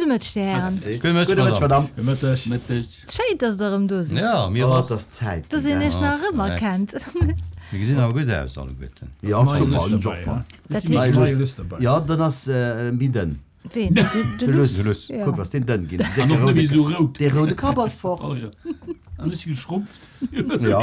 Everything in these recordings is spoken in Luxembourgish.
Mëtteg, Dir Hären. Gudde Mëtteg, Madame. Gudde Mëtteg. Mëtteg. Schéin, dass Der erëm do sidd. Jo, mir och. Et ass Zäit Dass een Iech nach erëmerkennt. Mir gesinn awer gutt aus alleguerten. Jo, super, hunn ech och fonnt. Dat heescht. Jo, dann ass méi dënn. Ween? De Luss. De Luss. Kuck, ass deen dënn ginn. An och net méi esou rout. Dee roude Kapp ass fort. Oh jo. An ech si geschrumpft. Jo.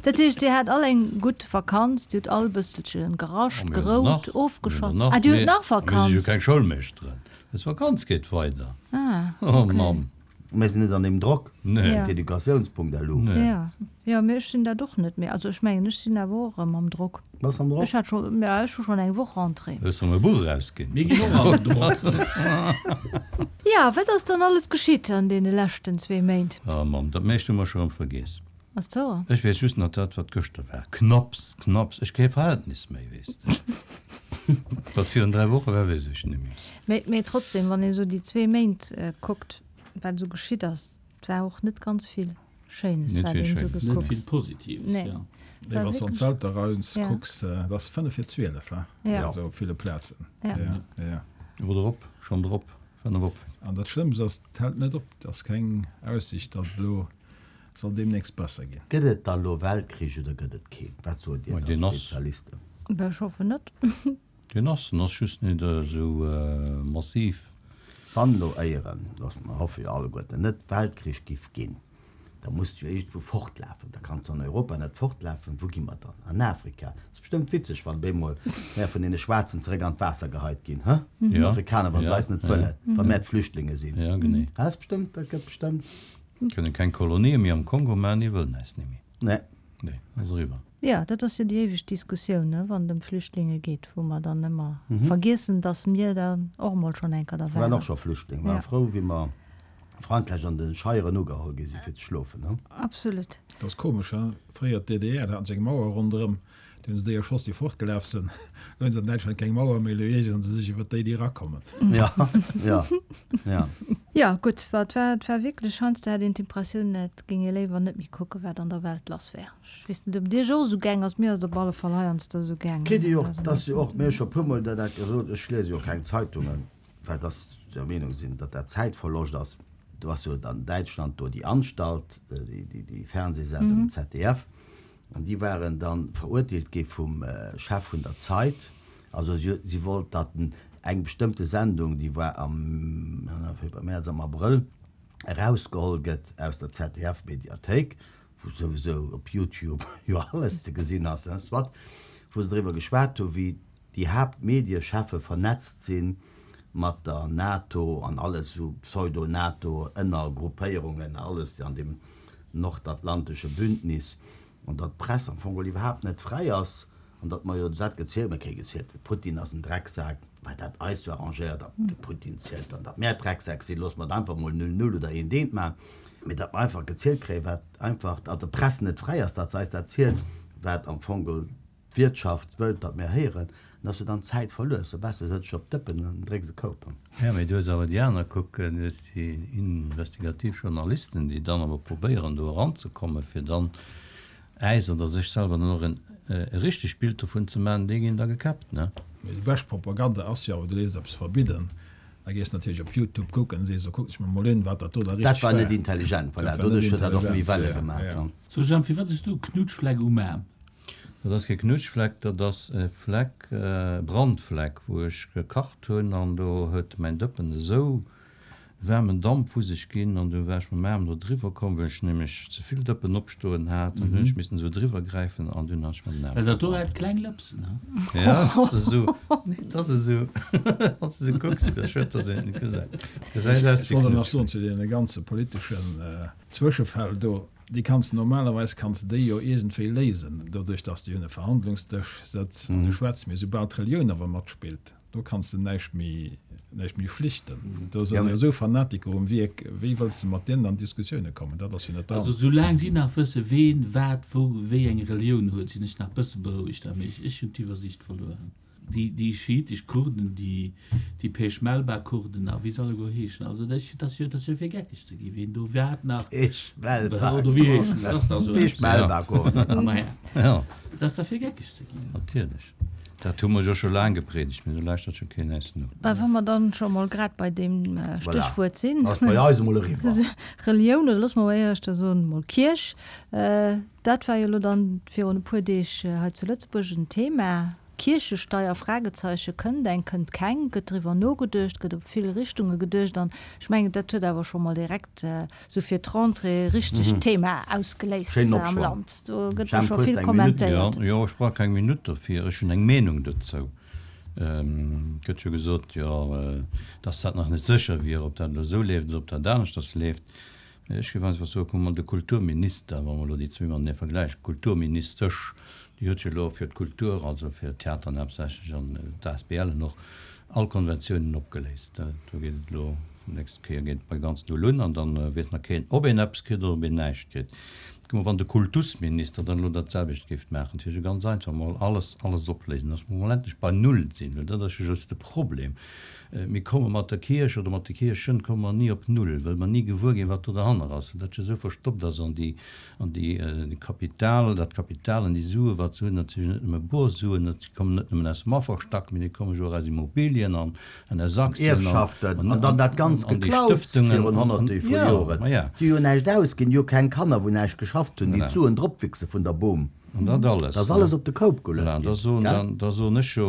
Dat heescht, Dir hat all eng gutt Vakanz, Dir hutt all e bësselche gerascht, gerout, ofgeschalt. Ah, Dir hutt nach Vakanz? Mir si jo keng Schoulmeeschteren. Eis Vakanz geet weider. Ah, Oh okay. Mamm. Mir sinn net an deem Drock. Nee. D'Educatiounspunkt.lu. Nee. Ja. Jo, mee ech sinn dat och net méi. Also ech mengen, ech sinn awer och erëm am Drock. Bass am Drock? Ech hat scho, ja, ech hu schonn eng Woch Rentrée. Hues erëm e Buch erausginn? Mir ginn och an den Drock. Ja, wat ass dann alles geschitt an deene leschten zwee Méint? Oh Mamm, dat meescht hu mer scho erëm vergiess. Ass et wouer? Ech weess just nach dat, wat gëschter war. Knapps, knapps. Ech kee Verhältnis méi, weess de. Wat virun 3 Woche war, weess ech net méi. Mee, mee trotzdem, wann ee sou déi zwee Méint kuckt, wat esou geschitt ass, et war och net ganz vill Schéines, Net wat vill een esou Schéines. Net gekuckt. vill Positives, Nee. jo. Nee, War wann s de an wierklech, d'Welt eraus ja. kucks, et ass 5 vir 12, he? Ja. Also op ville Plazen. Ja. Ja, ja. Oder op, schonn drop, 5 op. An dat Schlëmmst ass, et hält net op. Et ass keng Aussicht, datt et elo soll deemnächst besser ginn. Gëtt et da lo Weltkrich oder gëtt et keen? Wat sot Dir Mei, da, deen ass. Spezialisten? Bah, ech hoffen net. Deen ass, en ass just net esou massiv. Wann elo éieren, loosse mer hoffe jo alleguerten net, Weltkrich giff ginn, da muss de jo iergendwou fortlafen. Da kanns de an Europa net fortlafen. Wou gi mer dann? An Afrika? Ass bestëmmt witzeg, wann op eemol mär vun deene Schwaarzen zeréck an d'Waasser geheit ginn, hë? Jo. D'Afrikaner, wann se eis net wëllen, wa mär d'Flüchtlinge sinn. Jo, genee. Dat ass bestëmmt, dat gëtt bestëmmt. Kënne keng Kolonië méi am Kongo maachen, déi wëllen äis net méi. Nee. Nee, ass eriwwer. Jo, dat ass jo déi éiweg Diskussioun, ne, wann et ëm Flüchtlinge geet, wou mer dann ëmmer vergiessen, datt mir dann och emol schonn eng Kéier da Mir waren waren. och scho Flüchtling, waren frou, wéi mer a Frankräich an de Scheieren ugeholl gi si fir ze schlofen, ne? Absolut. Dat ass komesch, he? Fréier d'DDR, da haten se eng Mauer ronderëm, Do hunn se déi erschoss, déi fortgelaf sinn. Elo hunn se an Däitschland keng Mauer méi, elo iergeren se sech iwwer déi, déi erakommen. Ja, ja, ja. Jo, gutt, wa et war, et war wierklech, heiansdo hat een d'Impressioun, et géing ee léiwer net méi kucken, wat an der Welt lass wär. Ech weess net, ob et Iech och esou gaang ass, mir ass et op alle Fall heiansdo esou gaangen. Kritt Dir jo och, et ass jo och, mir hu scho puermol dat dat gesot, ech liese jo keng Zeitungen, well dass ech der Meenung sinn, datt dat Zäitverloscht ass. Do ass jo an Däitschland do déi Anstalt, déi, déi Fernsehsendung um ZDF, An déi waren da verurteelt gi vum Chef vun der Zeit. Also si wollt, datt eng bestëmmte Sendung, déi war am Mäerz, am Abrëll, erausgeholl gëtt aus der ZDF-Mediathéik, wou souwisou op Youtube jo alles ze gesinn ass, soit, wou se driwwer geschwat hu wéi déi Haaptmediecheffe vernetzt si mat der NATO an alles esou Pseudo-NATO-Ënnergruppéierungen, alles an deem nordatlantesche Bündnis, an datt d'Press am Fong geholl iwwerhaapt net fräi ass, an datt mer jo dat gezielt, mer kréie gezielt, de Putin ass en Drecksak, well dat eis jo arrangéiert, a de Putin zielt dann, datt mär Drecksäck sinn, loosse mer et einfach mol null null oder eent eent maachen, mee datt mer einfach gezielt kréien, wat einfach, datt d'Press net fräi ass, datt se eis dat zielt, wat am Fong geholl D'Wirtschaft wëllt, datt mir héieren, an dass du dann Zäit verluers. Sou besser sëtz ech op d'Dëppen an drécks e Koup. Jo, mee du hues awer déi aner, kuck, du hues déi investigativ Journalisten, déi dann awer probéieren, do eranzekommen, fir dann äis oder sech selwer dann och en richtegt Bild dovun ze maachen, déi ginn da gekäppt, ne? Mee déi bescht Propaganda ass jo awer, du léisst eppes verbidden, da gees de natierlech op Youtube kucken, sees, lo kucken ech mer mol un, wat dat do da Dat richteg war war. net intelligent, voilà, Dat war net doduerch huet dat och méi intelligent, Welle ja, gemaach. ja. So Jemp, firwat hues du e Knutschfleck um Aarm? Dat ass kee Knutschfleck, dat ass e Fleck, e Brandfleck, wou ech gekacht hunn an do huet mäin Dëppen esou waarmen Damp vu sech ginn an du war ech mam Aarm do driwwer komm, well ech nämlech ze vill Dëppen opstoen hat an hunn ech missen esou driwwer gräifen an dunn hat ech mer den Aarm Well dat do verbrannt. hat kleng Lëpsen, he? Ja, dat ass esou, nee, dat ass esou, wann s de esou kucks, da schued, dass een et net gesäit. Gesäit aus Ech wéi wollt nach soen Knutschfleck. zu deene ganze politeschen Zwëschefäll do, Déi kanns de normalerweis kanns de déi jo iergendwéi léisen, doduerch datt s de un e Verhandlungsdësch sëtz an du schwätz. Mee soubal d'Relioun awer matspillt, do kanns de näischt méi, näischt méi schlichten. Do sinn jo esou Fanatiker um Wierk, wéi wëlls de mat deenen an Diskussioune kommen? Dat ass jo net dran. Also soulaang si nach wësse ween wat wou wéi eng Relioun huet, sinn ech nach bësse berouegt. Mee ech hunn d'Iwwersiicht verluer. Déi schiitesch Kurden, déi Peshmelba-Kurden a wéi se alleguer heeschen, also dat ass jo, dat ass jo fir geckeg ze ginn, wien do wat nach. Peshmelba-Kurden. Oder wéi heeschen, dat ass dach esou eppes. Peshmelba-Kurden. Maja, dat ass da fir geckeg ze ginn. Natierlech. Dat hu mer jo scho laang gepriedegt, mee do lauschtert jo keen äis no. Bah, wa mer dann scho mol grad bei deem Stéchwuert sinn. Voilà, ass bei eis emol eriwwer. Relioun, oder loosse mer mol éischter soen, mol Kierch. Dat war jo elo dann virun e puer Deeg hei zu Lëtzebuerg en Thema. Kierchesteier, Fragezeichen, kënnt eng, kënnt keng, gëtt driwwer nogeduecht, gëtt op vill Richtunge geduecht an ech mengen, dat huet awer scho mol direkt esou fir d'Rentrée richteg d'Thema ausgeléist Schéinen am Opschwong. Land. Do gëtt jo Jemp, scho hues vill de eng Minutt? Jo, kommentéiert. jo, ech brauch keng Minutt dofir, ech hunn eng Meenung dozou. Et gëtt jo gesot, jo, dass dat nach net sécher wier, ob dat elo esou leeft oder ob dat aneschters leeft. Mee ech géif einfach soen, kuck mol, de Kulturminister, wa mer elo déi zwee matenee vergläichen, d'Kulturministesch, déi huet jo elo fir d'Kultur, also fir d'Theateren haaptsächlech an d'ASBLen och, all Konventiounen opgeléist. Do geet et elo, d'nächst Kéier geet et bei ganz Null un an da weess nach keen, ob een eppes kritt oder ob een näischt kritt. Kuck mol, wann de Kultusminister dann elo dat selwecht géif maachen, dat wier jo ganz einfach, mol alles, alles opléisen, dass mer mol endlech bei Null sinn, well dat ass jo just de Problem. Mir komme mat der Kierch oder mat de Kierchen komme mer ni op Null, well mer ni gewuer ginn, wat do derhanner ass, well dat jo esou verstoppt ass an déi, an déi Kapital, dat Kapital an déi Sue wat se hunn, dat si jo net nëmme bor Suen, dat kommen net nëmmen aus dem Afferstack, mee déi komme jo och aus Immobilien an, an aus Aktien an, Ierfschaften an dann dat ganz an déi Geklaus Stëftungen virun an, honnerte an, vu jo, Joren, ma ja. déi jo näischt ausginn, déi hu keng Kanner wou näischt geschafft hunn, déi Voilà. d'Suen dropwichse vun der Bom. An dat alles. Dat ass alles op de Koup Voilà, geluet an da ginn, soen, gell? da soen ech jo,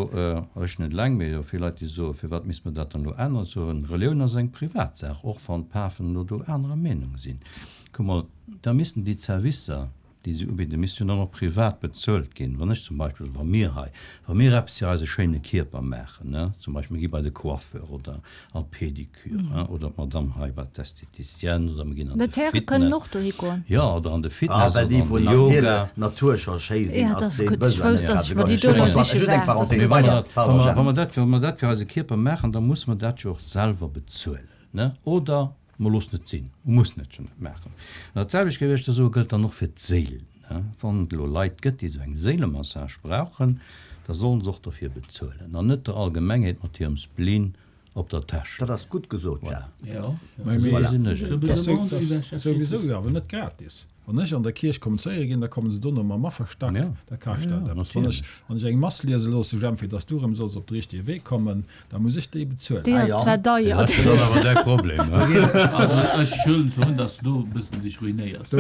ech net eleng, mee jo vill Leit, déi soen, firwat misst mer dat dann elo änneren? Soen, Relioun ass eng Privatsaach, och wann d'Pafen elo do anerer Meenung sinn. Kuck mol, da missten déi Zerwisser, déi se ubidden, missten jo dann och privat bezuelt ginn. Wann ech zum Beispill, oder wa mir hei, wa mir eppes fir eise schéine Kierper maachen, ne, zum Beispill mir gi bei de Coiffeur oder an d'Pédicure, hein, oder d'Madame hei bei d'Esthéticienne, oder mir ginn an de D'Häre kënnen Fitness. och dohi goen. Jo, oder an de Ah, Fitness well oder déi an vun de Yoga. Natur, Natur scho schéi sinn, Ja, dat ass ass dee gutt. Ech Besoin wousst, net dass grad ech mer déi esou do elo grouss. siche Just eng waart. Parenthèse. Mee wa mer Weider, dat, wa pardon, mer, Jemp. wa mer dat, wa mer dat fir eise Kierper maachen, da musse mer dat jo och selwer bezuelen, ne? Oder mer loossen et sinn. Mer mussen et jo net maachen. An dat selwecht, géif ech da soen, gëllt dann och fir d'Séil, ne? Wann et elo Leit gëtt, déi esou eng Séilemassage brauchen, da sollen se och derfir bezuelen an net der Allgemengheet mat hirem Spleen op der Täsch. Dat ass gutt gesot, Jeff. Souwisou jo, awer net gratis. Wann ech an der Kierch kommunizéiere ginn, da kommen se dono mam Afferstack, da kascht dat eppes. Wann ech, wann ech eng Mass liese loosse, Jemp, fir dass du erëm solls op de richtege Wee kommen, da muss ech déi bezuelen. Déi ass zwar deier. Dat ass awer däi Problem. Also ech huelen zwar un, dass du do e bëssen dech ruinéiers.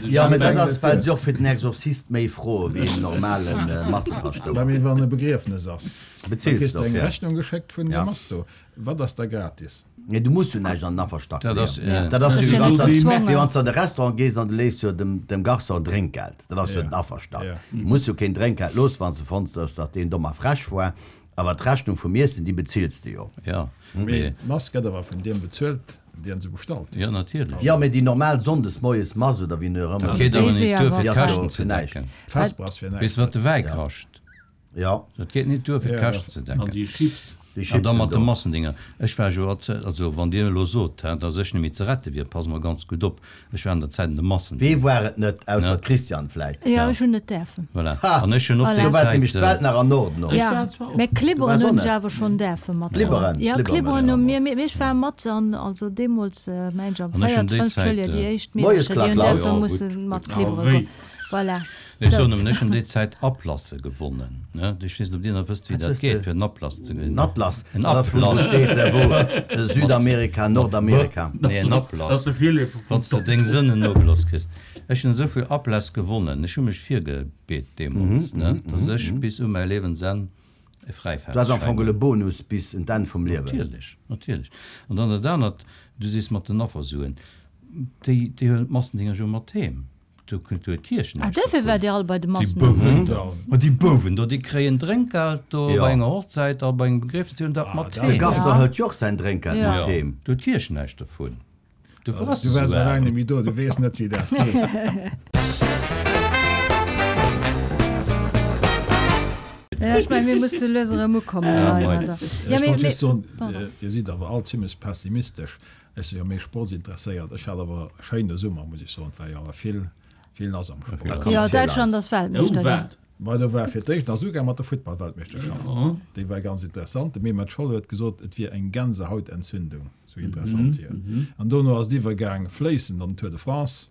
Jo, mä dat ass, well se och fir den Exorzist méi froe wéi en normale Massepaschtouer. Mä mee wann e Begriefnes ass, da Bezills kriss de eng dofir. Rechnung geschéckt vun dem Mass do. Wat ass da gratis? Nee, du muss jo näischt an den Afferstack Dat ass, leeën. Dat ass jo Dat wéi ass wann jo s de gezwongen. wéi wann s de an de Restaurant gees an du léiss jo dem, dem Garçon Drénkgeld. Dat ass jo Ja. den Afferstack. Ja. Du muss jo keen Drénkgeld loossen, wann s de fonns hues, datt deen domm a frech war. Awer d'Rechnung vum Iessen, déi bezills de jo. Ja, Mee mee, d'Mass gëtt awer vun deem bezuelt, deen se bestallt huet. jo, natierlech. Jo, mee déi normal Sonndes moies Mass oder wéi och ëmmer Dat se geet awer Si net duer, awer. fir Déi ass jo d'Käschten ze fir näischt. decken. D'Vesper ass fir Weess näischt. de, wat de Wäi kascht? Jo. Dat geet net duer, fir Ja, d'Käschten ze An decken. déi Chips. Déi An Chips da sinn mat de do. Massendinger. Ech war jo, also wann Dir elo sot, hä, datt ech net méi ze rette wier, pass mol ganz gutt op, ech war an der Zäit an de Wee Massendinger. war et net, ausser Ne? d'Christiane vläit? Jo, Ja. ech hunn net däerfen. Voilà. Ha! An ech hunn och Voilà. déi Do war nämlech Zäit. d'Welt nach an Ordnung. Ech Ja, war zwar och. mä Du Klibberen waars och hunn ech net. awer schonn däerfe mat. Klibberen, Ja, Klibberen Klibberen ech hu och. mir, mir, ech war mat an, also deemools, mengen ech am An ech hunn véiert, déi fënnft Zäit, Schouljoer, déi éischt Moies Meedercher, déi hunn Klack, däerfe Ja, gutt, musse gutt. mat Ah, klibbere wéi? goen. Voilà. Ech Sou. soen nëmmen, ech hunn déi Zäit Atlasse gewonnen, ne? Ech weess net, ob Dir nach wësst, wéi Wat dat hues geet, de? fir en Atlas ze gewinnen. En Atlas? En Dat ass wou Atlas. steet, wou Südamerika, Nordamerika. Nee, en Dat ass Atlas. de Virleefer vum Wann s de Top. deng Sënnen nogelooss kriss. Ech hunn esou vill Atlasse gewonnen. Ech hu mech virgebeet deemools, ne, dass ech bis u mäi Liewensenn e Du has am Fräifaartschäin Fong hunn. e Bonus bis un d'Enn vum Liewen. Natierlech, natierlech. An dann dat anert, du sees mat den Affersuen, déi, déi huelen d'Massendinger jo mat heem. Do kënnt huet d'Kierch Ah, näischt duerfir dovun. waart Dir all bei de Déi Massen. Bouwen, Da. ma déi Bouwen do, déi kréien Drénkgeld do Jo. bei enger Hochzäit a bei engem Begriefnis, déi hunn dat Ah, mat dat De heem. Garçon Ja. hëlt jo och säin Drénkgeld Ja. mat Jo, heem. do huet d'Kierch näischt dovun. Dofir ass Du se waars esou well aarm. laang net méi do, du weess net, wéi dat geet. Ja, ech mengen, mir musse lues erëm ukommen Ja, hei moin. mat der. Ja, Ech mee, wollt mee, just soen, pardon. Dir sidd awer all zimlech pessimistesch. Ech si jo méi sportsinteresséiert. Ech hat awer e schéine Summer, muss ech soen. Et war jo awer vill, vill lass am Da Sport. komm, Jo, erziel Däitschland eis. ass Weltmeeschter Oh, ginn. wat? Mä do war fir d'éischt nach souguer mat der Futtballweltmeeschterschaft. Ja. Déi war ganz interessant. De Mehmet Scholl huet gesot, et wier eng Gänsehautentzündung, sou interessant wier et. An dono ass et iwwergaang fléissend an den Tour de France.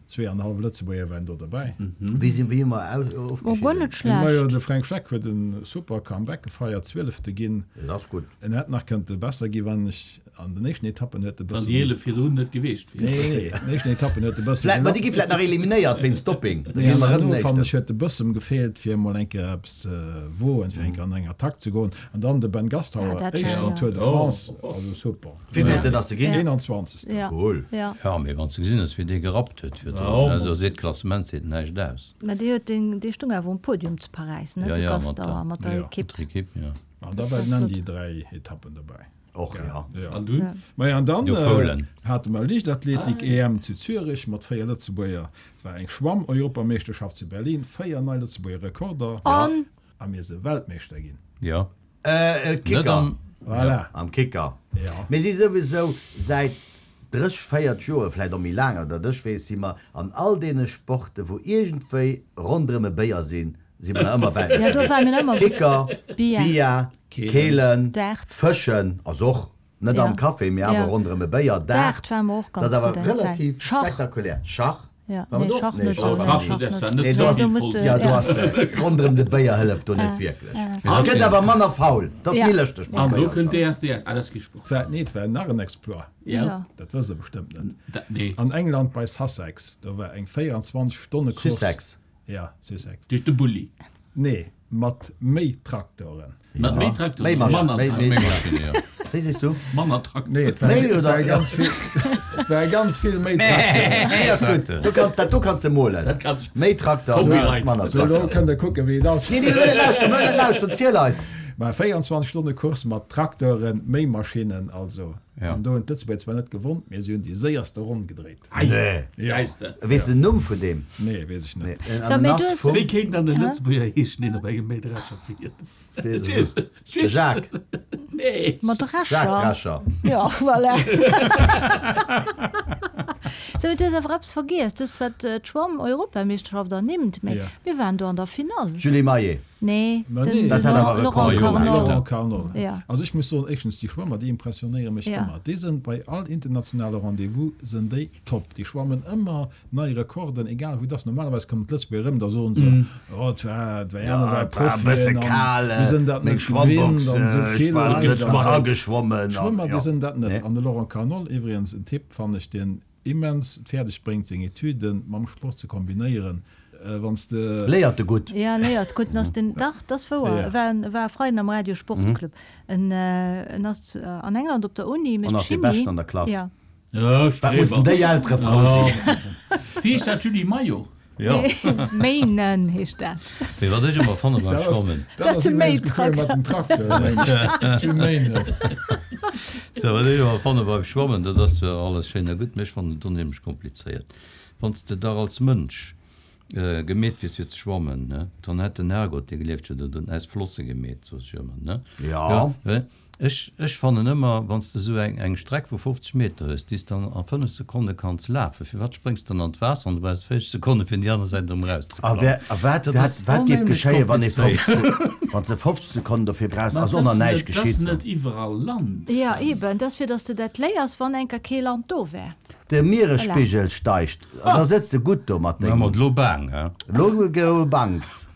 Zweeanenhallef Lëtzebuerger waren do derbäi. Wéi sinn wéi hu mer Oh, guer net ofgeschidden? schlecht. Majo, de Fränk Schleck huet e super Comeback gefeiert, Zwielefte ginn. Dat ass gutt. En hätt nach kënnte besser ginn, wann ech an den éischten Etappen huet e Wann bëssen. déi 11 virdrun net geweecht wier. Nee, nee, an den éischten Etappen huet e bësse Vläit, ma déi gelappt. gi vläit nach eliminéiert wéinst Dopping. Da Nee, gi an mer erëm herno den fannen éischten. ech huet e bëssem gefeelt, fir emol eng Kéier eppes ze woen, fir eng Kéier an eng Attack ze goen. An dann de Ben Ja, Gastauer, dat war éischten jo. am Tour de France, also super. Wéivilten ass e ginn? 21. Ja. Cool. Ja. Ja, mee wann s de gesinn hues, wéi dee gerappt huet virdrun, ne, do seet d'Klassement seet näischt aus. Mä dee huet deen, dee stung awer um Podium zu Paräis, ne, Ja, de ja, mat Gastauer, der, mat der Ja. Ekipp. mat der Ekipp, ja. An da war den Andy 3 Etappen dobäi. Och, ja. Ja. An dunn? Maja, an dann Du Foulen. hate mer Liichtathletik-EM zu Zürich mat 4 Lëtzebuerger. Et war eng Schwamm-Europameeschterschaft zu Berlin, 4 nei Lëtzebuerger Rekorder. An? A mir se Weltmeeschter ginn. Ja. Äh, Kicker. Net am. Voilà. Am Kicker. Ja. Mir si souwisou säit 30, 40 Joer, vläit och méi laang, oder datt ech weess, si mer an all deene Sporte wou iergendwéi ronderëm e Béier sinn, si mer nach ëmmer Ja, do Weltmeeschter ware ginn. mir ëmmer gutt. Kicker, Billard. Billard, Keelen. Keelen, Dart. Fëschen ass och net Ja. am Café, mee awer Ja. ronderëm e Béier, Dart Dart, ware mer och dat ganz ass awer gutt eng Zäit. relativ Schach. spektakulär. Schach. Ja, War nee, do? Schach Nee, net. Schach Nee, war Schach net. net. Nee, do ass, Do muss de, ja, do ja. ass ronderëm de Béier hëlleft do net wierklech. Et gëtt awer manner faul, dat ass Ja. méi lëschteg mam An do Béier kënnt schonn. DSDS. Ah, dat ass kee Sport. War, nee, et war nach en Exploit. Ja. Ja. Dat wësst Der bestëmmt net. Dat, nee. An England bei Sussex, do war eng 24 Stonne Course. Sussex. Ja, Sussex. Duerch de Bulli. Nee, mat méi Traktoren. Mat méi Traktoren? Méi Maschinen. Manner Méi, méi, Maschinen, ja. Wéi sees du? Manner Traktoren. Nee, et war, Méi et oder- war ganz vill, et war ganz vill méi Traktoren. Nee, ass gutt. Du kann, dat do kanns de molen. Dat kanns. Méi Traktor, Copyright. manner So, elo Traktor. kënnt der kucken, wéi et ass. Nee, nee, wëll net lauschteren, wëll net lauschteren, ziel eis. Mä 24 Stonne Course mat Traktoren, méi Maschinnen, also. Ja. An do hunn d'Lëtzebuerger zwar net gewonnt, mee si hunn déi séierste Ronn gedréit. Nee. Ja. Weess de. Weess de den Numm vun deem? Nee, weess ech net. Nee, So, en mee ass du hues- vum Wéi kéint dann e Lëtzebuerger heeschen, deen op engem Mähdrescher fiert? De Jacques. Nee. Mat Drescher. Jacques Drescher. Ja, voilà. So, mee du hues awer eppes vergiess. Du hues zwar d'Schwamm-Europameeschterschaft ernimmt, mee Ja. mir waren do an der Finall. Julie Maillet. Nee, Ma den, nee. den Dat hat awer Laurent Rekord. Carnol. Laurent Carnol. Ja. Also ech muss soen, éischtens, déi Schwëmmer, déi impressionéiere mech Ja. ëmmer. Déi sinn bei all internationale Rendez-vous sinn déi top. Déi schwammen ëmmer nei Rekorden, egal wou et ass. Normalerweis kommen d'Lëtzebuerger erëm, da soen se, oh, et war, et war Ja, aner war et war e bësse Profien an kal, mir sinn dat meng net gewinnt Schwammbox, an esou ech vill war Leit net an esou. ageschwommen. D'Schwëmmer, déi Ja. sinn dat net. Nee. An de Laurent Carnol iwwregens, en Typ, fannen ech, deen immens et fäerdeg bréngt, seng Etüden mam Sport ze kombinéieren. Wann s de. Léiert e gutt. Ja, léiert gutt. En ass den, dach, dat ass wouer. Ja. E war, e war e Freiden am Radio Sportclub. En, en ass an England op der Uni, An mécht ass dee Chimie. Beschten an der Klass. Ja. Ja, Wat mussen Streber. déi Eltere frou sinn. Wéi heescht dat, Julie Maillot? Ja. Méinen heescht dat. Mee wat ech ëmmer fanne beim Dat ass, Schwammen. dat ass ass de iwwregens gefuer mat Méitrakter. dem Traktor, mensch. Jules Méinen. So, wat ech ëmmer fanne beim Schwammen, dat ass zwar alles schéin a gutt, mee ech fannen et onheemlech komplizéiert. Wann s de dach als Mënsch gemeet wiers fir ze schwammen, ne, dann hätt den Herrgott, dee gelieft huet, der dunn äis Flosse gemeet, sot ech ëmmer, ne. Ja. Ja, ech, ech fannen ëmmer, wann s de esou eng, eng Streck vu 50 Meter hues, déi s de an a 5 Sekonne kanns lafen, firwat spréngs de dann an d'Waasser an du brauchs 40 Sekonne fir un déi aner Säit erëm A erauszeklammen? wer, a wat, Dat wat, ass wat géif onheemlech geschéien, wann ee komplizéiert. 50, wann s de 50 Sekonnen dofir brauchs, Ma ass et och nach ass näischt net, et ass geschitt. net iwwerall Land. Ja, eben. Dat ass fir, datt s de dat léiers, wann enker kee Land do wär. De Mieresspigel steigt, an da sëtz de gutt do mat Mä mat dengem. lo baang, he? Lo go bangs.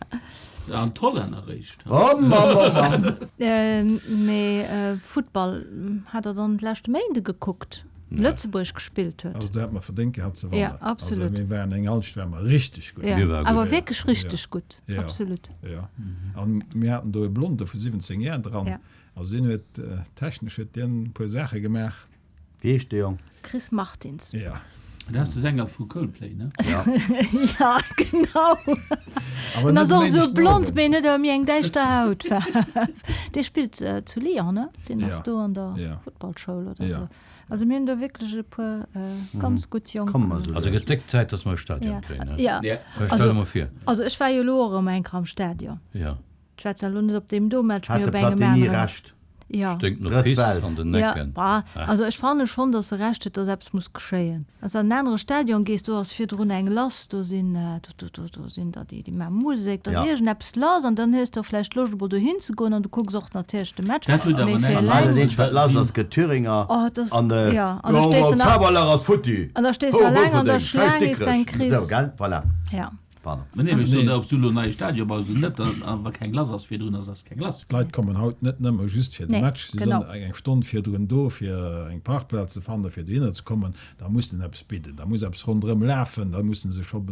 An d'Hollänner réischt. Oh Mann, oh Mann. Mee Futtball hat der dann d'leschte Méinde gekuckt, Lëtzebuerg gespillt huet? Also do hätt mer verdéngt gehat ze wannen. Ja, absolut. Also mir waren eng Halschent ware mer richteg gutt. Ja, Mir ware gutt. awer wierklech richteg gutt, Ja. absolut. Ja. An mir haten do e Blonde vu 17 Jär dran. Ja. Also deen huet technesch huet deen e puer Saache gemaach. Wéi heescht de Jong? Chris Martins. Ja. Dat ass de Sänger vu Coldplay, ne? Ja. Ja, genau. Awer En net ass och e esou Méindeg den blond, Owend. mee en huet awer méi eng däischter Hautfaarf. Dee spillt zu Lyon, ne? Deen ass Ja. do an der Ja. Futtballschoul oder Ja. esou. Also mir hunn do wierklech e puer ganz gutt Jonk. Komme mer esou Also lues. gëtt déck Zäit, dass mer e Stadion Ja. kréien, ne? Ja. Ja. Stell Also- der mol vir. Also ech war jo elo och erëm eng Kéier am Stadion. Ja. Ech war zwar elo net op deem do Match, Hat mee de op engem Platini aneren. Recht? Ja. Sténkt no Drëtt Piss Welt. an den Ja, Ecken. bah, also ech fanne schonn, datt se Recht huet, datt eppes muss geschéien. Wann s de an en anere Stadion gees, do ass virdrun eng lass, do sinn, do, do, do sinn der déi, déi maache Musek, da ass Ja. iergendeppes lass an dann hues de och vläicht Loscht emol dohin ze goen an du kucks och natierlech de Match. Dat huet Mee awer fir näischt An hei eleng. dat eenzegt wat lass ass, gëtt Thüringer Oh, dat ass, an ja, an da stees de nach, Faberlach ass futti. an da stees de Ho, eleng an der Bouferdeng, Scheiss Schlaang, ees de eng Dikrech. kriss. Esou, gell? Voilà. Ja. Pardon. Mä nee, mee ech soen der, ob s du elo en neie Stadion baus oder net, a wa keng lass ass virdrun, ass ass keng lass. D'Leit kommen haut net nëmme just fir de Nee, Match, si sinn genau. eng Stonn virdrun do, fir eng Parkplaz ze fannen, fir dohinner ze kommen. Da muss den eppes bidden, da muss eppes ronderëm lafen, da musse se scho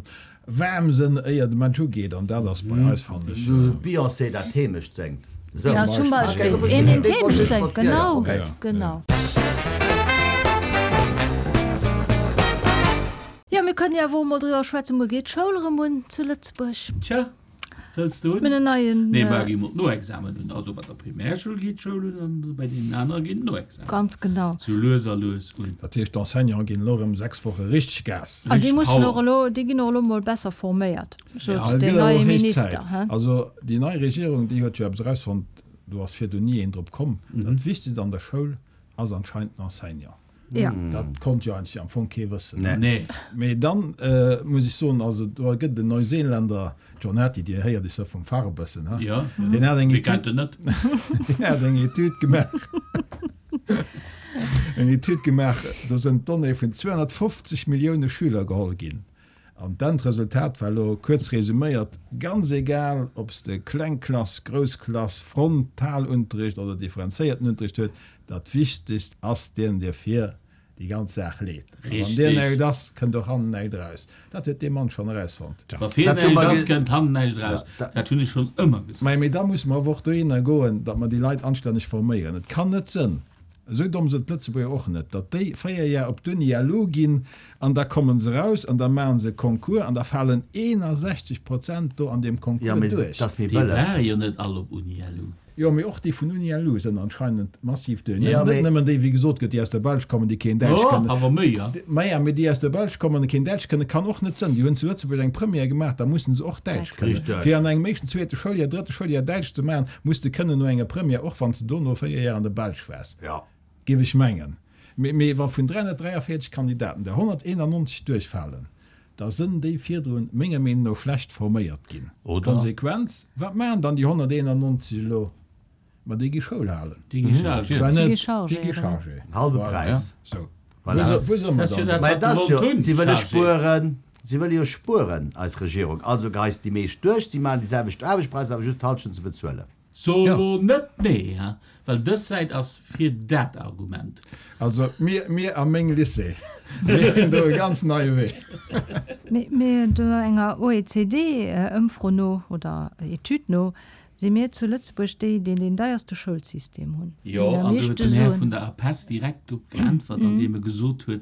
waarm sinn, éier de Match ugeet. An dat ass bei eis, fannen ech. Beyoncé dat Heemecht séngt. Esou. Ja, zum Beispill. Een, deen d'Heemecht séngt, genau, genau. Jo, mir kënnen jo awer och emol driwwer schwätzen, muer geet d'Schoul erëm un zu Lëtzebuerg. Tja, wëlls de un? Mir hunn en neien. Nee, mer gi mol d'Noexamen un. Also bei der Primärschoul geet d'Schoul un an bei deenen anere ginn d'Noexamen. Ganz genau. Sou lues a lues un. Dat heescht, d'Enseignanten ginn elo erëm 6 Woche richteg Gas. An déi Richteg mussen och Power. elo, déi ginn och elo mol besser forméiert, sot Ja, et deen gëtt awer neie och héich Minister, Zäit. he? Also déi nei Regierung, déi huet jo eppes erausfonnt, do ass virdu ni een drop komm, Dat Wichtegst an der Schoul ass anscheinend den Enseignant. Ja. Dat konnt jo eigentlech am Fong kee wëssen. Nee. Nee. Mee dann muss ech soen, also do gëtt et en Neuseeländer, John Hattie, Dir héiert Iech da vum Fach e bëssen, ha? Ja. Deen hat eng Wie Etüd, kennt en net? deen hat eng Etüd gemaach, eng Etüd gemaach, do sënn d'Donnéeë vun 250 Millioune Schüler geholl ginn. An d'Endresultat war elo, kuerz resuméiert, ganz egal, ob s de kleng Klass, grouss Klass, Frontalunterricht oder differenzéierten Unterricht huet, dat Wichtegst ass deen, dee vir déi ganz Saach leet. A wann deen näischt ass, kënnt och hannen näischt eraus. Dat huet dee Mann schonn erausfonnt. Wa vir näischt ass, kënnt hannen näischt eraus. Dat hunn ech schonn ëmmer gesot. Mee da musse mer awer och dohinner goen, datt mer déi Leit anstänneg forméieren. Et kann net sënn, Esou domm sënn d'Lëtzebuerger och net, datt déi 4 Jar op d'Uni LU ginn an da kommen se raus an da maachen se e Concours an da falen 61 Prozent do an deem Jo, Concours mee duerch. et ass méi Déi bëlleg. ware jo net all op Uni LU. Jo, mee och déi vun Uni LU sënn anscheinend massiv duerch. Jo, Net mee. nëmmen déi, wéi gesot gëtt, déi aus der Belsch kommen, déi keen Däitsch Oh, kënnen. awer méi, ja. Maja, mee déi aus der Belsch kommen a keen Däitsch kënnen, kann och net sënn. Déi hunn zu Lëtzebuerg eng Première gemaach, da mussen se och Däitsch kënnen. Richteg. Fir an engem éischten, zweete Schouljar, drëtte Schouljar Däitsch ze maachen, muss de kënnen no enger Première, och wann s de dono 4 Jar an der Belsch waars. Ja. Géif ech mengen. Mee wa vun 343 Kandidaten der 191 duerchfalen, da sënn déi virdrun menger Meenung no schlecht forméiert ginn. Oder? Konsequenz, Wat maachen dann déi 191 elo? Ma déi gi Schoul halen. Déi gi chargé. Zwar Si net, gi chargé, déi gi oder? chargé. Halbe Voilà. Präis. Sou. Voilà. Wou se, wou se mer Dat ass jo dann? dat, Mä wat et se ass wollt jo, hunn, si wëlle chargé. spueren, si wëlle jo spueren, eis Regierung. Also geheist déi meescht duerch, si maachen déi selwecht Aarbechtspräisser, awer just d'Halschent ze bezuelen. So elo net nee, ha, well dës Säit ass fir dat Argument. Also mir, mir a meng Lycée, mir hunn do e ganz neie Wee. Mee do enger OECD-Ëmfro no oder Etüd no si mir zu Lëtzebuerg déi, déi deen deierste Schoulsystem hunn. Jo, Déi am an do huet meeschte den Här Suen. vun der APESS direkt drop geäntwert, andeem e gesot huet,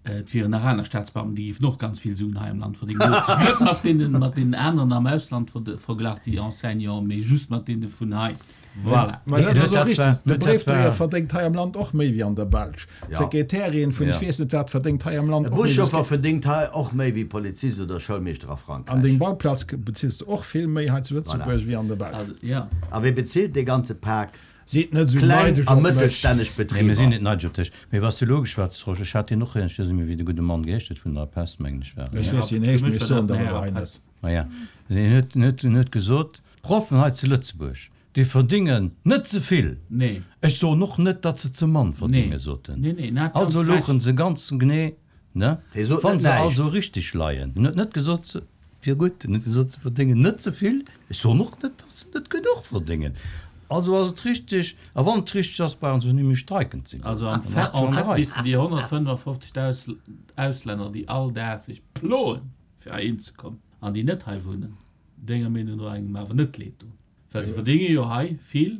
et wieren nach aner Staatsbeamten, déi géifen och ganz vill Suen hei am Land verdéngen. En huet sech net mat deenen, mat deenen aneren am Ausland verglach, déi Enseignanten, mee just mat deene vun hei. Voilà. Mä dat ass och richteg. De Dat Bréifdréier war. verdéngt hei am Land och méi wéi an der Belsch. D'Sekretärin vun ech weess net wat verdéngt hei am Land E och méi. Buschauffer verdéngt hei och méi wéi Polizist oder Schoulmeeschter a An Frankräich. deng Bauplaz bezills de och vill méi hei zu Lëtzebuerg wéi an der Belsch. Also, ja. A wee bezilt dee ganze Pak? Sidd net esou Kleng neideg a op mech. mëttelstänneg Nee, mir sinn Betriber. net neideg op dech. Mee wat s du elo geschwat hues, Rosch, ech hat deen och héieren, ech weess net méi, wéi de gudde Mann geheescht huet, vun der APESS, mengen ech war et. Ech weess, wéi en Fir heescht, mech mee ech war soen dat der den elo Här hei net. APESS. Maja, en huet, en huet, en huet gesot, d'Proffen hei zu Lëtzebuerg, déi verdéngen net ze vill. Nee. Ech soen och net, datt se ze mann verdéngen, Nee. sot en. Nee, nee, en hat ganz Also louchen Recht. se ganz genee, ne? Hie sot Wann net se näischt. also richteg leien. En huet net gesot, se wier gutt, en huet gesot, se verdéngen net ze vill. Ech soen och net, datt se net genuch verdéngen. Also ass et richteg, a wann et richteg ass, brauchen se net méi streiken ze goen. Also am Dann fait, ass et en schonn fait an der Rei. missten déi 155.000 Auslänner, déi all Dag sech ploen, fir heihin ze kommen, an déi net hei wunnen, denger Meenung no engem awer net leed doen. Well se verdénge jo hei vill,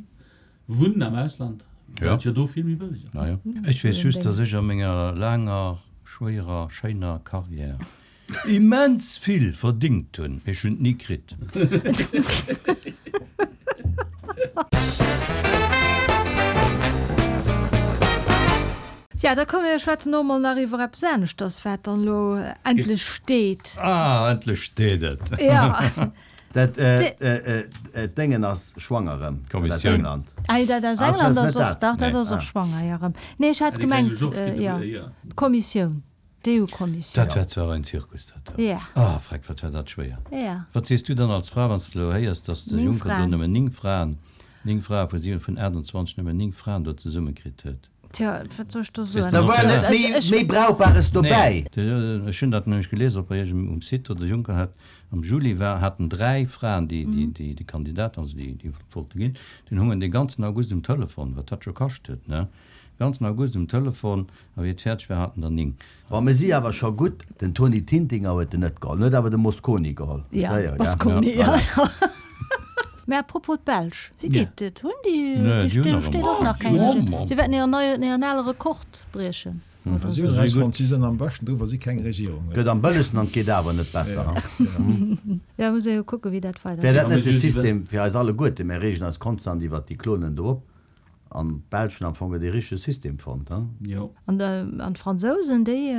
wunnen am Ausland, well et jo do vill méi bëlleg ass. Ech weess just, dass ech a menger laanger, schwéierer, schéiner Carrière immens vill verdingt hunn, mee ech hunn et ni kritt. Ja, da komme mir schwätzen och emol nach iwwer eppes aneschters, wat dann elo endlech steet. Ah, endlech steet et! Ja. Dat Déngen ass schwanger erëm, dat aus England. Ah, dat aus England ass och, dach, dat ass och schwanger, jo, erëm. Nee, ech hat gemengt, jo, d'Kommissioun, d'EU-Kommissioun. Dat war zwar en Zirkus, dat do. Ah, freck, wat war dat schwéier. Wat sees du dann als Fra, wann s de elo héiers, datt de Juncker do nëmmen 9 Fraen, 9 Frae vu 7, vun 28 nëmmen 9 Fraen do zesummekritt huet? Tja, wat soll ech do soen? Da war net méi Brauchbares dobäi. Nee, ech hunn dat nämlech gelies op iergendengem um Site, do de Juncker hat am Juli war, haten 3 Fraen, déi déi Kandidaten, also déi déi wollte ginn, dunn hungen dee ganzen August um Telefon, wat dat scho kascht huet, ne, ganzen August um Telefon, a wéi et fäerdeg war, haten der 9. Bon, mir si awer scho gutt, den Tony Tintinger huet en net geholl, en huet awer de Mosconi geholl. Ja, Mosconi, ja. Mä à propos d'Belsch, wéi geet et? Hunn déi, do steet och nach keng Regierung. Si wäerten hiren neien, hiren ale Rekord briechen oder esou. Si hunn erausfonnt, si sinn am beschten dru wa si keng Regierung hunn. Gëtt am bëllegsten an et geet awer net besser. Jo, muss ee jo kucken, wéi dat weider Wär dat net de System fir eis alleguerten? Mir reegen eis konstant iwwert déi Klonen do op an d'Belsch hunn am Fong e richtege System fonnt. Jo. An d'Fransousen, déi,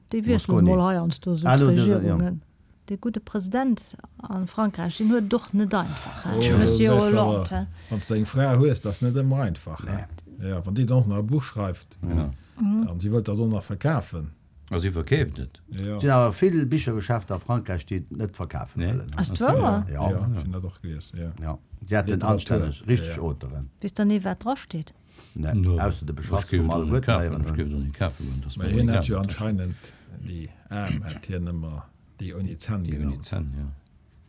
déi wiesselen emol heiansdo esou d'Regierungen. Dee gudde President a Frankräich, deen huet et och net einfach, hein, de Monsieur Hollande. Wann s de eng Fra hues, dat ass net ëmmer einfach, hein. Jo, wann déi dann och nach e Buch schreift an si wëllt dat och nach verkafen. A si verkeeft et. Et sinn awer vill Bichergeschäfter a Frankräich, déi et net verkafe wëllen. Ass et wouer? Jo, ech hunn dat och gelies, jo. Jo, si hätten anstänneg, richteg Auteuren. Weess dann ee wat drasteet? Nee, ausser de Beschass vum alleguerten heieren. Ech géif et och net kafe goen, Mä hien hätt jo anscheinend déi Aarm hätt hien ëmmer déi ouni Zänn genannt. Déi ouni Zänn, jo.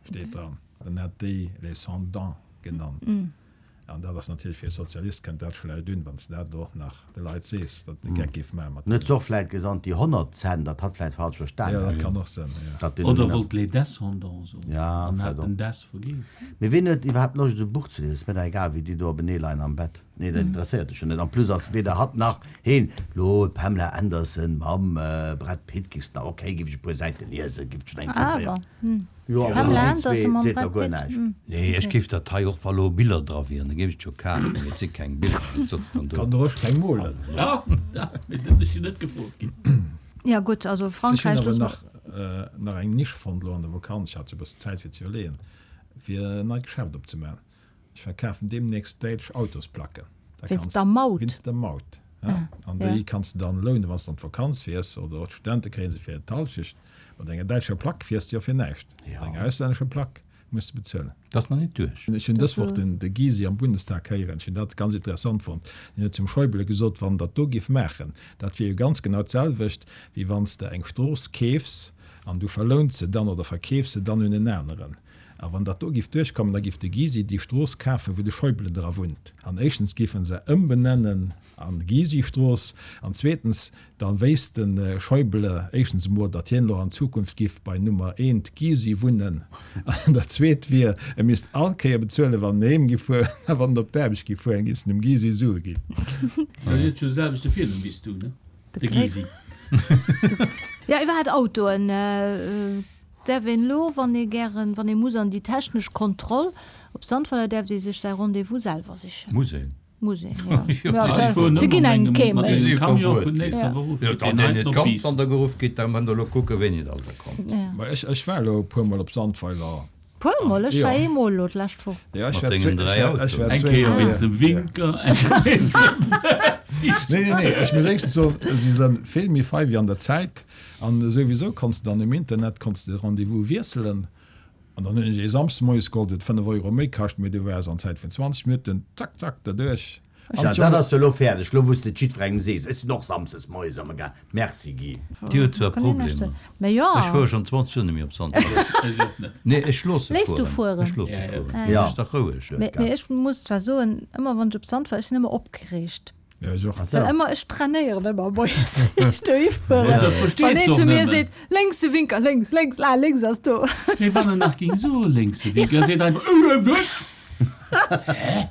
Steet dran. En hätt déi les sans dents genannt. An dat ass natierlech fir e Sozialist kënnt dat schlecht un, wann s de dat elo och nach de Leit sees, datt en e Geck géif maache mat En huet se och vläit genannt déi 100 Zänn, datt hatt vläit falsch verstanen Jo, dat kann och sinn, jo. Oder wollt les descendants soen an hat den des vergiess. Mee ween huet iwwerhaapt Loscht esou e Buch ze liesen? Ass mir dach egal wéi déi do openee leien am Bett. Nee, dat interesséiert dech jo net. En plus ass weder hatt nach heen. Lo d'Pamela Anderson mam Brad Pitt giffs nach, ok, giff ech e puer Säite liesen, giff dech nach interesséieren. Jo, awer Pamela déi Anderson zwee mam seet der Brad guer Pitt, näischt. Nee, ech géif dat hei och, wa lo Biller dra wieren, da géif ech et jo kafen, mee et si keng Biller, wat soss dann do? Kann der och keng molen. Ja, mee dat ass jo net gefrot ginn. Ja gutt, also Ech hunn Frankräich awer loosse mer. nach nach eng Nisch fonnt elo an der Vakanz, ech hat jo e bëssen Zäit fir ze iwwerleeën, fir en neit Geschäft opzemaachen. Ech verkafen deemnächst däitsch Autosplacken. Da Wéinst der Maut? Wéinst der Maut, ja. An déi kanns de dann lounen, wann s de an d'Vakanz fiers, oder och d'Studente kréie se fir d'Halschecht. Mat enger däitscher Plack fiers de jo fir näischt. Mat enger auslännescher Plack muss de bezuelen. Dat ass nach net duerch. Ech hunn dës Woch den de Gysi am Bundestag héieren. Ech hunn dat ganz interessant fonnt. Deen huet zum Schäuble gesot, wann Der dat do giff maachen, dat wier jo ganz genau d'selwecht, wéi wann s de eng Strooss keefs an du verlouns se dann oder verkeefs se dann un en aneren. A wann dat do giff duerchkommen, da giff de Gysi déi Strooss kafen, wou de Schäuble dra wunnt. An éischtens giff en se ëmbenennen an Gysi-Strooss, an zweetens, da wéisst de Schäuble éischtens emol, datt hien elo an Zukunft giff bei Nummer eent Gysi wunnen, an dat zweet wier, e misst all Kéier bezuelen, wann en heem giff fueren, a wann en op d'Aarbecht giff fueren, giff en dem Gysi Sue ginn. Hien huet jo de selwechte Virnumm wéi s du, ne? De Gysi. Jo, iwwerhaapt Autoen. Däerf een elo, wann ee gären, wann ee muss an déi technesch Kontroll op Sandweiler, däerft ee sech säi Rendez-vous selwer sichen? Muss een? Muss een, jo. Se ginn engem kee méi. Si si verbuet ginn. Jo, wann deen net kommt, wann der geruff gitt, da mënnt der elo kucken, wéini dass der kommt. Ma ech, ech war elo e puermol op Sandweiler. Puermol? Ech war eemol elo d'lescht Woch. Jo, ech Mat war dengen zwee, 3 ech war, ech war Eng zwee Kéier Mol. wéinst dem Winker, eng Kéier wéinst dem Nee, nee, nee, ech muss éischtens soen, si sënn vill méi fei wéi an der Zäit. An souwisou konns de dann um Internet konns de de Rendez-vous wiesselen. An dann hunn ech ee Samsdes moies geholl, dee huet 5 Euro méi kascht, mee du waars an Zäit vun 20 Minutten zack zack derduerch. An Ja, dat ass jo elo fäerdeg, elo wou s de et jiddwerengem sees. Ech sinn och Samsdes moies am Ga. Merci Guy. Dir hutt zwar Problemer. Ech fuere schonn 20 Joer net méi op Sandweiler. Ech och net. Nee, ech loosse Léiss du fueren. fueren? Ech loosse fueren. Ech dach roueg. Mee ech muss zwar soen, ëmmer wann ech op Sandweiler, ech sinn ëmmer opgereegt. Ja, ech och. Well ëmmer, ech trainéieren ëmmer moies, ier ech dohi fueren. Ja, dat verstees Wann een de och zu mir nëmmen. seet, lénks de Winker, lénks, lénks, ah, lénks ass do. Mee wann en nach ging soe lénks de Winker, seet einfach, Äh, wat? Hä?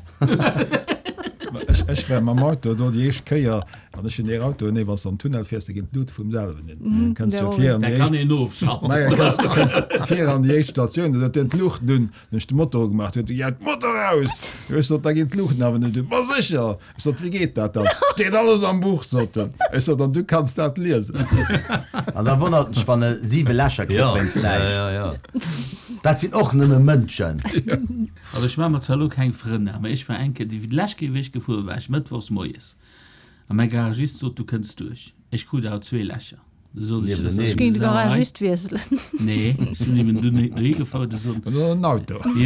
Ech, ech war mam Auto do déi éischt Kéier, an ech hunn dee Auto, nee, wann s de an den Tunnel fiers, da ginn d'Luute vum selwen un. Kënns du vir an Da déi kann éischt, een ofschalten. naja, kënns, kënns vir an déi éischt Statioun, da huet deen d'Luuchten un, dann hunn ech de Motor ugemaach, huet e, Ja, d'Motor aus! Jo, ech sot, da ginn d'Luuchten awer net un. Ma sécher! Ech sot, Wéi geet dat dann? Steet alles am Buch, sot en. Ech sot, An du kanns dat liesen? An da wonnert en sech, wann e siwe Lächer kritt wéinst näischt. Dat sinn och nëmme Mënschen. Also ech maache mer zwar elo keng Frënn, awer ech war eng Kéier, déi lescht Kéier wéi ech gefuer war ech mëttwochs moies a mäi Garagist sot, du kënns duerch. Ech krut awer zwee Lächer. Du sot ech, Ech géing de Garagist wiesselen. Nee, ech hunn eben dunn dohi gefouert a sot, Mir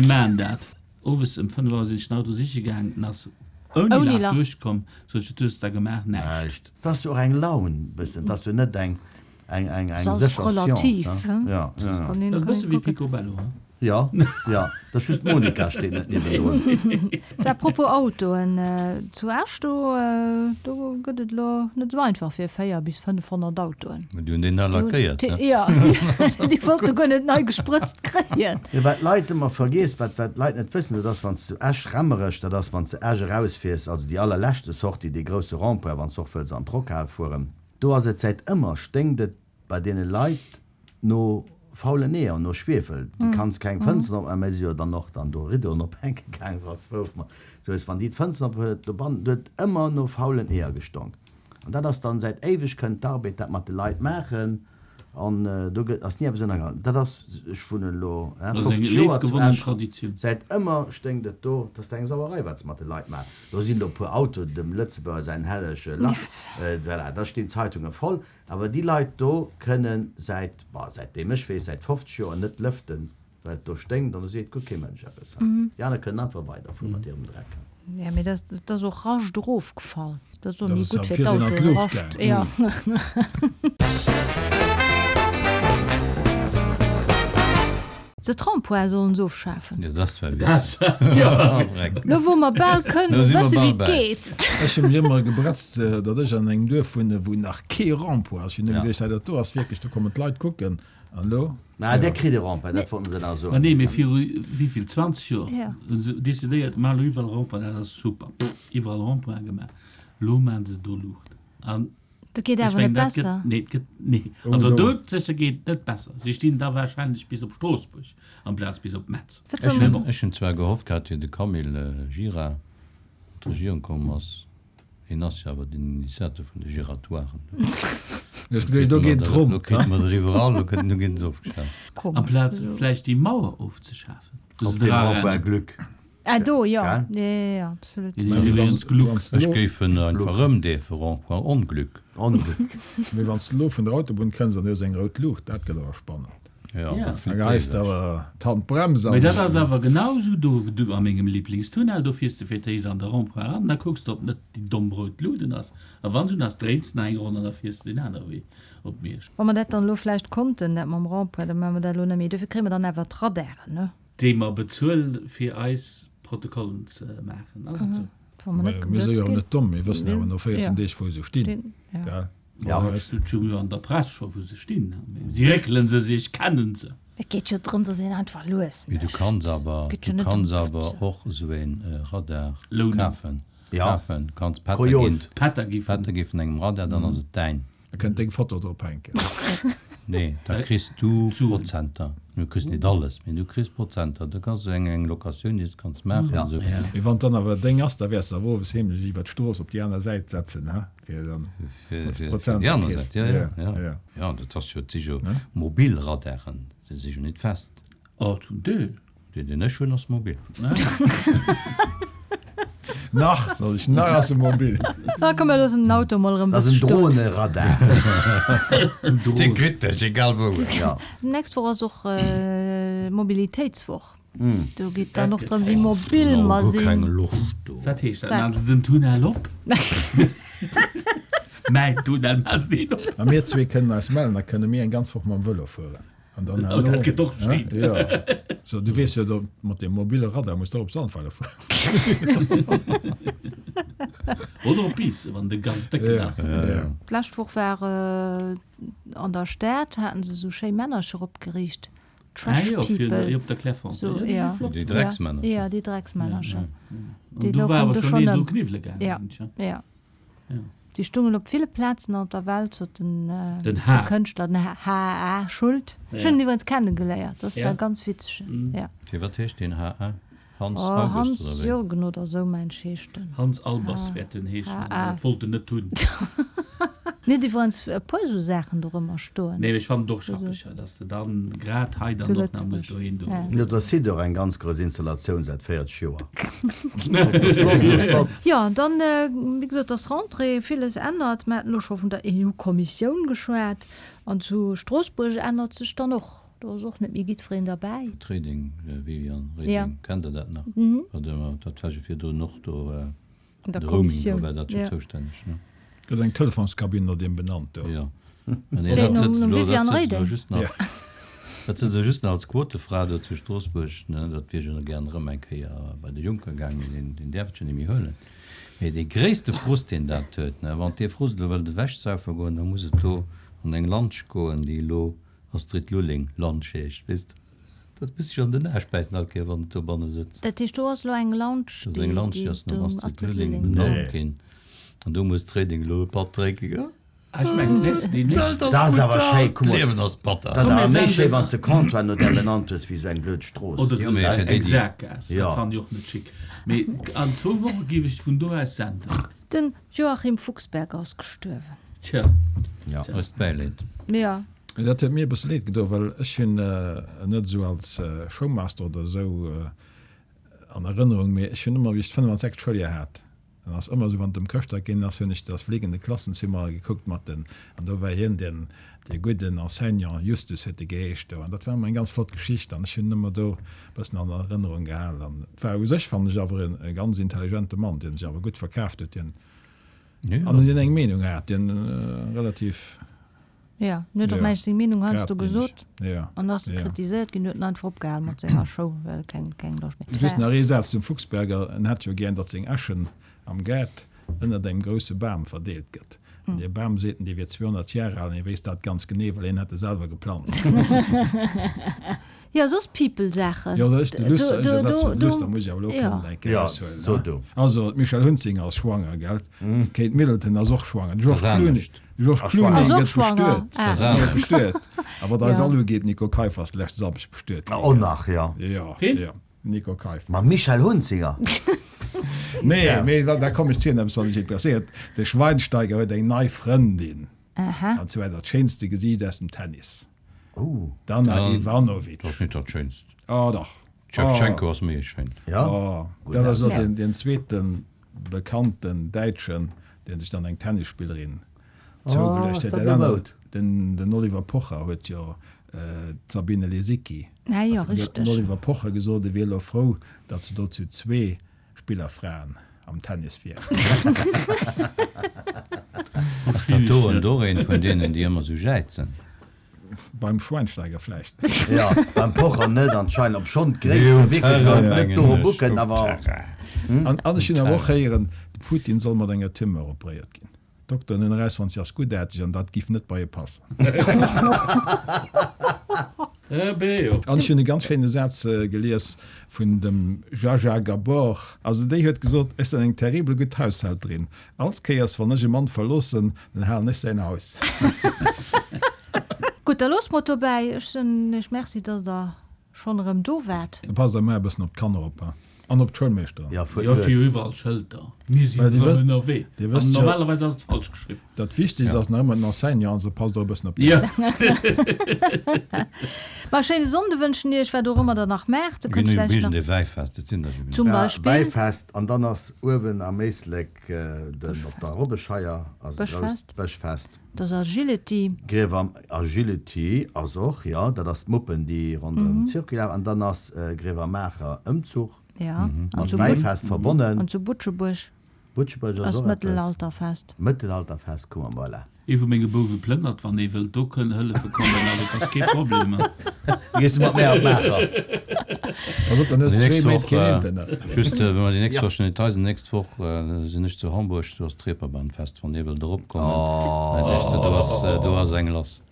maachen dat. Owes ëm 5 Auer sinn ech den Auto siche gaang, en ass ouni Lach duerchkomm. Sot ech, wat hues de da gemaach? Näischt. 't ass jo och eng Laun bëssen, 't ass jo net eng eng eng eng sécher Science, he? Ja, ja. Dat ass e bësse wéi Picobello, he? Jo, jo, 't ass just d'Monica steet net niewendrun. Sou, à propos Autoen, zu Esch do, do gëtt et elo net esou einfach fir 4 bis 500 Autoen. Mä déi hunn deen nei lackéiert, ne? Jo, déi wollte guer net nei gesprëtzt kréien. Jo, wat d'Leit ëmmer vergiess, wat wat d'Leit net wëssen, dat ass, wann s du Esch, Rammerech, dat ass, wann s de Esch erausfiers, also déi allerleschte Sortie, dee grousse Rond-point, wann s och wëlls an d'Rockhal fueren, do ass et säit ëmmer, sténkt et bei deene Leit no faulen Eeër, no Schwiefel. Du kanns keng Fënsteren opmaachen, mä si jo dann och dann do Riddoen ophänke gaang, was wouf mer. Du hues, wann déi d'Fënsteren op huet, dobannen, do huet ëmmer no faulen Eeër gestonk. An dat ass dann säit éiweg kënnt d'Arbed dat mat de Leit maachen an do gëtt, ass ni eppes ënnergaangen. Dat ass, ech wunnen elo 50 Joer zu Esch, säit ëmmer sténkt et do. Dat ass eng Sauerei, wat se mat de Leit maachen. Do sinn elo e puer Autoen, dem Lëtzebuerger säin hellege Lach, voilà, da stinn d'Zeitunge voll. Awer déi Leit do kënnen säit, bon, säitdeem ech weess, säit 50 Joer net lëften, well et do sténkt an do seet guer kee Mënsch eppes. Déi aner kënnen einfach weiderfuere mat hirem Dreck. Jo, mee dat ass och Rascht erofgefall. Dat ass och ni gutt fir d'Autoen, Rascht, jo. De Trampoin sollen se ofschafen. Jo, dat ass zwar witzeg. Lo wou mer bal kënnen wësse wéi et geet. Ech hu mech ëmmer gebretzt, datt ech an engem Duerf wunne wou nach kee Rond-point ass. Ech hunn ëmmer geduecht, hei dat do ass wierklech, do kommen d'Leit kucken. An elo? Mä där kritt e Rond-point, dat wollten se nach soen. Ma nee, mee viru wéivill, 20 Joer hu se decidéiert, maache elo iwwerall Rond-point, dat ass super. Iwwerall Rond-pointe gemaach. Elo maache se do Luucht. An Dat geet awer net besser. Nee, et gëtt, nee. Also do sécher geet et net besser. Si stinn da wahrscheinlech bis op Stroossbuerg amplaz bis op Metz. Ech hunn, ech hunn zwar gehofft gehat, wéi de Camille Gira an d'Regierung komm ass, hien ass jo awer den Initiateur vun de Giratoiren, Do geet et ronn. Lo kritt mer der iwwerall, lo gëtt, lo ginn se ofgeschaaft. Amplaz vläicht déi Mauer ofzeschafen, wou se dra rennen. Glück. Ah do, jo, jo, jo, absolut. Ech géif en einfach ëmdeefen, Rond-point Onglück. Onglück. Mee wann s de elo vun der Autobunn kënns an du hues eng rout Luucht, dat gëtt awer spannend. Jo, da geheis de awer d'Handbrems an. Mee dat ass awer genau esou do, du a mengem Liblingstunnel, do fiers de fir d'éischt an de Rond-point eran, da kucks de, ob net déi domm rout Luut un ass, a wann se un ass, dréins de nach eng Ronn an da fiers de deen anere Wee op Miersch. Wa mer dat dann elo vläicht konnten, dat mam Rond-point, da maache mer dat elo net méi. Dofir kréie mer dann awer d'Radaren, ne? Déi mer bezuelen, fir eis Protokollen ze maachen. Ass et esou? Mir si jo och net domm, mir wëssen awer no 14 Deeg, wou se stinn, gell? Jo, et steet jo an der Press scho, wou se stinn. Si réckele se sech, kennen se. Et geet jo drëm, datt een einfach lues mécht. Mee du kanns awer, du kanns awer och esou ee Radar kafen. Kafen, kanns Pätter ginn. Pätter gi vun engem Radar, dann ass et däin. Da kënnt deng Foto drop hänken. Nee, da kriss du Prozenter. Du kriss nit alles, mee du kriss Prozenter. Du kanns eng eng Locatioun, déi s de kanns maachen an esou. Mee wann dann awer deng ass, da wäers de awer owes heemlech iwwer d'Strooss op déi aner Säit setzen, ha? Fir dann, datt s de Prozenter kriss. Fir déi aner Säit, jo, jo, jo. Jo, dat ass jo, et si jo mobil Radaren, se si jo nit fest. Oh, zum Deel. Deen deen ech hunn ass mobil. Nach, sot ech, nach ass e mobil. Ah komm, mir loossen den Auto mol erëm Dat ass bësse en stoen. Droneradar. Dee kritt dech, egal wou. Ja. Nächst Woch ass och Mobilitéitswoch. Do geet dann och drëm, wéi mobil mer Guer keng sinn. Loscht do. Wat heescht dat? Maachen se den Tunnel op? Mäin Tunnel maachen se deen op. A mir zwee kënnen eis mellen, da kënne mir eng ganz Woch mam Vëlo fueren. An dann Oh, dat gëtt och schéin. Ja. So, du weess jo, do mat deem mobile Radar muss de och op Sandweiler fueren. Oder op Biissen, wann de ganz décken Ja, ass. ja. D'lescht Woch war an der Stad, haten se esou schéi Männercher opgeriicht, Ah Trash jo, fir People. op der Clairefontaine. So, Ja, déi si ja. flott. Déi Drecksmännercher. Ja, déi Drecksmännercher. An Déi do war louchen awer do schonn schonn een do ëm. kniwwele gaangen, Ja, mengen ech, ja. Ja. Déi stungen op ville Plazen op der Welt, sot den, Den H. de Kënschtler, den H. H. A. Schuld. Ech hunn en iwwregens kennegeléiert, dat ass e ganz witzegen, ja. Fir wat heescht deen H. A.? Hans Oh, August Hans oder wéi? Jürgen oder esou, mensch, heescht en. Hans Albers wäert en heeschen, H. awer A. dat wollt en net hunn. Mir hunn iwwerens e puer esou Saachen dorëmmer stoen. Nee, mee ech fannen et och schappeg, dass de dann grad hei dann och nach muss dohin do. Jo, da sidd och eng ganz grouss Installatioun säit 40 Joer. Jo, an dann, wéi gesot, ass Rentrée, villes ännert. Mer haten elo scho vun der EU-Kommissioun geschwat. An zu Stroossbuerg ännert sech dann och, do ass och net méi jiddwereen derbäi. D'Reding, Viviane Reding, kennt Der dat nach? Dat war jo virdrun och do. An der De Roaming, do Kommissioun, war dat jo ja. zoustänneg, ne? Gëtt eng Telefonskabinn no deem benannt do? Jo. Mä nee, Wéi, dat nom, sëtzt nom elo, dat Viviane sëtzt elo Reding? just nach, Ja. dat sëtzt elo just nach als Quotefra do zu Stroossbuerg, ne? Dat wier jo nach gären erëm eng Kéier bei de Juncker gaang, mee deen, deen däerf et jo net méi huelen. Mee dee gréisste Frust, deen dat huet, ne, wann dee Frust elo wëllt ewechsaufe goen, da muss et do an eng Lansch goen, déi elo Astrid Lulling, Lounge heescht, weess de. Dat muss sech an den Aarsch bäissen all Kéier wann et dobanne sëtzt. Dat heescht do ass elo eng Lounge Dat ass eng Lounge, déi ass nom Astrid Lulling benannt ginn. An do muss d'Reding elo e Patt drénke goen. Ah ech mengen d'nächst, déi nächst. Dat ass awer schéi, kuck mol. D'Liewen ass batter. Dat ass awer méi schéi wann s de Comptoir no där benannt hues wéi esou eng blöd Strooss. Oder Jo, mee fir déi, eng déi. Saakgaass, dat fannen ech och net schick. Mee an zwou Woche géif ech vun do aus senden. Den Joachim Fuchsberger ass gestuerwen. Tja. Ja, eist Bäileed. Ja. Dat huet mir e bësse leed gedoen, well ech hunn en net esou als Showmaster oder esou an Erënnerung, mee ech hunn ëmmer, wéi ech d'5 an Schouljoer hat, dann ass ëmmer esou, wann et ëm Chrëschtdag gaangen ass, hunn ech Das fliegende Klassenzimmer gekuckt mat den, an do war hien deen, dee gudden Enseignant, Justus huet e geheescht do, an dat war ëmmer eng ganz flott Geschicht an ech hunn en ëmmer do e bëssen an Erënnerung gehal. An et war u sech, fannen ech, awer e ganz intelligente Mann, deen sech awer gutt verkaaft huet, deen, an deen eng Meenung hat, deen relativ. Jo, en huet och mengt seng Meenung heiansdo gesot an ass Ja. kritiséiert ginn, huet en einfach opgehal mat senger Show, well keng keng Loscht méi. Just nach ee Saz zum Fuchsberger, En hätt jo gären, datt seng Äschen am Gaart ënnert engem grousse Bam verdeelt gëtt. An dee Bam, seet en, dee wier 200 Jar al an hie wéisst dat ganz genee, well hien hätt e selwer geplanzt. Jo, soss People-Saachen. Jo, ech, de Luster, ech ersetzen den Luster, muss ech awer elo Jo. kënnen eng Kéier Jo, eraushuelen, so ne? du. Also, d'Michèle Hunzinger ass schwanger, gell? D'Kate Middleton ass och schwanger. De George Das Clooney, anescht. de George Ass Clooney schwanger. Ass och gëtt schwanger. bestuet. Ah. Das Gëtt anescht. bestuet. A wat eis Jo. all ugeet, Nico Keiffer ass de leschte Samschdeg bestuet ginn, Oh gell? nach, jo. Jo, Ween? jo, Nico Keiffer. Mam Michèle Hunzinger? Nee, mee da, da komm ech zu eppes, wat dech interesséiert. De Schweinsteiger huet eng nei Frëndin. Aha. An zwar dat schéinste Gesiicht aus dem Tennis. Oh. D'Anna Dat Ivanovic. ass net dat schéinst. Oh dach. D'Schewtschenko ass méi schéin. Ja. Oh, dat ass elo den, den zweeten bekannten Däitschen, deen sech dann eng Tennisspillerin zougeluecht ass huet. dat Dat elo anert, Moud? den, den Oliver Pocher huet jo d'Sabine Lisicki. Ah jo, An huet richteg. den Oliver Pocher gesot, e wier elo frou, datt se do zu zwee Spillerfraen am Tennis wieren. Ass dat do en och eent vun deenen, déi ëmmer sou jäizen? Beim Schweinsteiger vläicht. Jo, beim Pocher net anscheinend, obschonn d'Gréisst jo wierklech elo net doro bucken, awer. An ech hunn awer och héieren, de Putin soll mat enger Tumeur operéiert ginn. D'Dokteren hunn erausfonnt, si ass guttaarteg an dat giff net bei e passen. An ech hunn e ganz schéine Saz gelies vun dem Zsa-Zsa Gabor. Also déi huet gesot, Ech sinn eng terribel gutt Haushälterin. All Kéiers wann ech e Mann verloossen, dann halen ech säin Haus. Gutt, da loosse mer et dobäi. Ech soen Iech Merci, dass Der Schonn erëm do waart. Passt emmer e bëssen op d'Kanner op an op d'Schoulmeeschteren. Ja, fuert Jo, ech hu jo lues. iwwerall Schëlter. Mir sinn Well Dir erëm wësst, ënnerwee. Dir An wësst jo, normalerweis ass et falsch geschriwwen. dat Wichtegst ass nach ëmmer den Enseignant, also passt och e bëssen op déi Jo. op. Ma e schéine Sonnde wënschen Iech, wat och ëmmer Der nach maacht. Der Mir kënnt ginn vläicht nach e Wäifest, et sinn der jo genuch. zum Ja, Beispill. Wäifest an dann ass uewen am Éislek den, op der Robbescheier ass e grousst Bëschfest. Bëschfest. Dat ass Agility. Griewer Agility ass och, jo, dat ass d'Muppen, déi ronderëm d'Circuit lafen. An dann ass Grevermaacher Ëmzuch mat Wäifest verbonnen. An zu Butschebuerg Butschebuerg ass ass och eppes. Mëttelalterfest. Mëttelalterfest, kuck mol, voilà. Ee vu menge Bouwe plënnert, wann ee wëllt do kënn hëllefe kommen, also et ass kee Problem. Da gees du mat mär op Maacher. Pass op, dann hues Déi de nächst zwee Méint Woch, keen Internet. just, wa mer déi nächst Woch schon Details, déi nächst Woch sinn ech zu Hamburg, do ass d'Reeperbahnfest, wann dir wëllt eropkommen, do ass, do ass eng lass.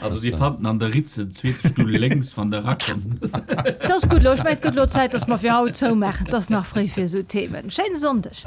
Also dir fannt en an der Ritze, zweete Stull lénks, wann der erakommt. 't ass gutt elo, ech mengen, et gëtt elo Zäit, dass mer fir haut zoumaachen, 't ass nach fréi fir esou Themen. Schéine Sonndeg.